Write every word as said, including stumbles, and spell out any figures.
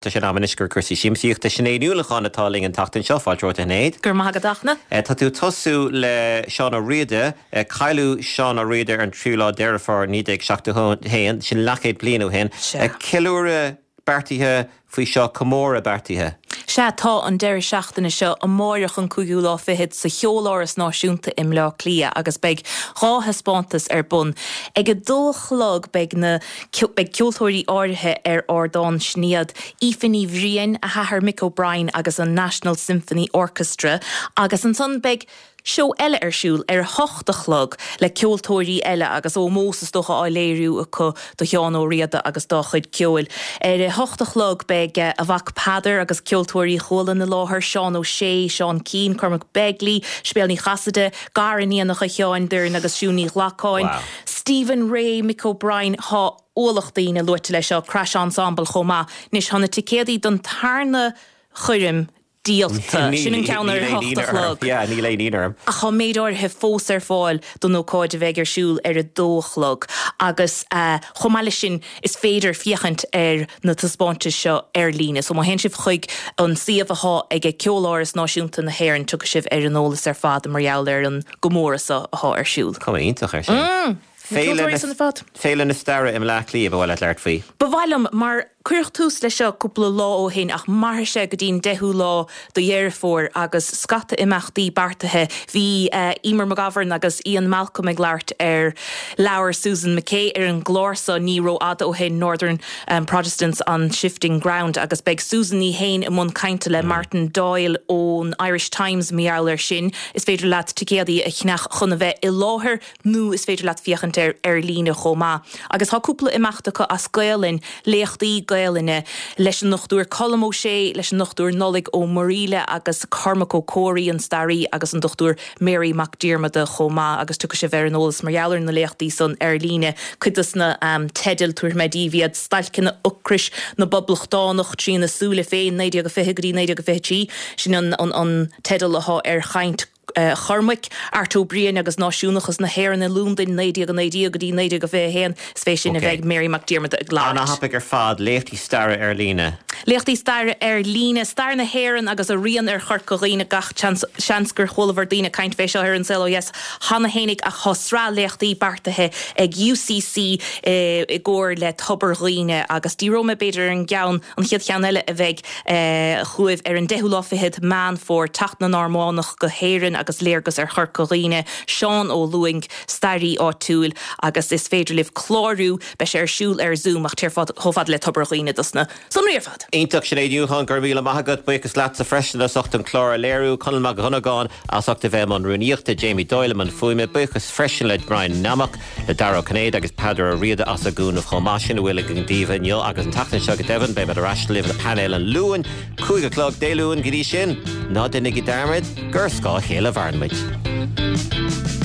Tá sé in am anois do chúrsaí siamsaíochta Sinéad Ní Uallacháin atá linn an tseachtain seo fáilte romhat a Shinéad. Gur maith agat. Tá tú tosú le Seán Ó Riada, cailleadh Seán Ó Riada ar an tríú lá Deireadh Fómhair naoi déag seachtó haon, sin leathchéad bliain ó shin. Ceiliúradh beartaithe faoi seo comóradh beartaithe. Sea tá an deireadh seachtaine seo amárach an cúigiú lá fichead sa Cheoláras Náisiúnta i mBleá Cliath agus beidh dhá thaispeántas ar bun. Ag a dó a chlog beidh na beidh ceoltóirí áirithe ar ardán sin iad Aoife Ní Bhriain, a hathair Mick O'Brien agus an National Symphony Orchestra agus ansan beidh seó eile ar siúl ar a hocht a chlog le ceoltóirí eile agus ómós is dócha á léiriú acu do Sheán Ó Riada agus dá chuid ceoil. Ar a hocht a chlog beidh a mhac Peadar agus ceoltóirí Chualann i láthair Seán Ó Sé, Seán Keane, Cormac Begley, Sibéal Ní Chasaide, gariníonacha Sheáin Doireann agus Siún Ní Ghlacáin, Wow. Stephen Ray, Mick O'Brien tá ualach daoine luaite leis seo Crash Ensemble chomh maith. Anois tá na ticéadaí don tarna choirm díolta sin an ceann ar a hocht a chlog. Níl aon ionadh orm. Ach tá méid áirithe fós ar fáil don ócáid a bheidh ar siúl ar a dó a chlog agus chomh maith leis sin is féidir féachaint ar na taispeántais seo ar líne. So má théann sibh chuig an suíomh atá ag Ceoláras Náisiúnta na hÉireann tiocfaidh sibh ar an eolas ar fad mar gheall ar an gcomóradh seo atá ar siúl. Cuma iontach ar sin. Ceoltóirí san fad. Féile na Staire i mBleá Cliath ba mhaith leat labhairt faoi. Ba mhaith liom mar cuireadh tús leis seo cúpla lá ó shin ach mairfidh sé go dtí'n deichiú lá de Dheireadh Fómhair agus scata imeachtaí beartaithe bhí uh, Emer McGovern agus Ian Malcolm ag labhairt ar leabhar Susan McKay ar an gclár seo ní rófhada ó shin Northern um, Protestants on Shifting Ground agus beidh Susan í féin i mbun cainte le mm. Martin Doyle ón Irish Times mar gheall air sin is féidir leat ticéadaí a cheannach chun a bheith i láthair nó is féidir leat féachaint ar ar líne chomh maith. Agus tá cúpla imeacht acu as Gaelainn léachtaí Gaelainne leis an Dochtúir Colm Ó Sé leis an Dochtúir Nollaig Ó Muraíle agus Cormac Ó Comhraí an staraí agus an Dochtúir Mary Mac Diarmada chomh maith agus tiocfaidh sibh ar an eolas mar gheall ar na léachtaí san ar líne cuid de na um, teidil tabharfaidh mé daoibh iad stailceanna ocrais na bPoblachtánach trína súile féin naoi déag fiche go dtí naoi déag fiche trí sin an, an, an teideal atá ar chaint uh, Chormaic, Art Ó Briain agus náisiúnachas na hÉireann i Londain naoi déag naoi déag go dtí naoi déag fiche haon is fé sin a bheidh Mary Mac Diarmada ag Anna labhairt. thapaidh ar fad léachtaí staire ar líne. Léachtaí staire ar líne stair na hÉireann agus a rian ar Chorca Dhuibhne gach seans gur chualabhar daoine caint fé seo ar an Saol Ó Dheas cheana féinig ach tá sraith léachtaí beartaithe ag UCC eh, i gcomhar le Tobar Dhuibhne agus díreoidh mé b'fhéidir ar an gceann an chéad cheann eile a bheidh eh, chugaibh ar an deichiú lá fichead Meán Fómhair teacht na Normannach go hÉirinn agus léargas ar Chorca Dhuibhne Seán Ó Lúing staraí áitiúil agus is féidir libh clárú beidh sé ar siúl ar Zoom ach téir chomh fada le Tobar Dhuibhne dos na sonraí ar fad. Iontach Sinéad Ní Uallacháin go raibh míle maith agat buíochas leatsa freisin as ucht an clár a léiriú Conall Mac Dhonnagáin as ucht a bheith i mbun rúnaíochta Jamie Doyle an fuaime buíochas freisin le Brian Namach le Dara Cinnéad agus Peadar Ó Riada as a gcúnamh chomh maith sin a bhfuil againn daoibh inniu agus an tseachtain seo go deimhin beidh ar ais libh le painéal an Luain cúig a chlog Dé Luain go dtí sin ná déanaigí dearmad gur scáth a chéile a mhaireann muid.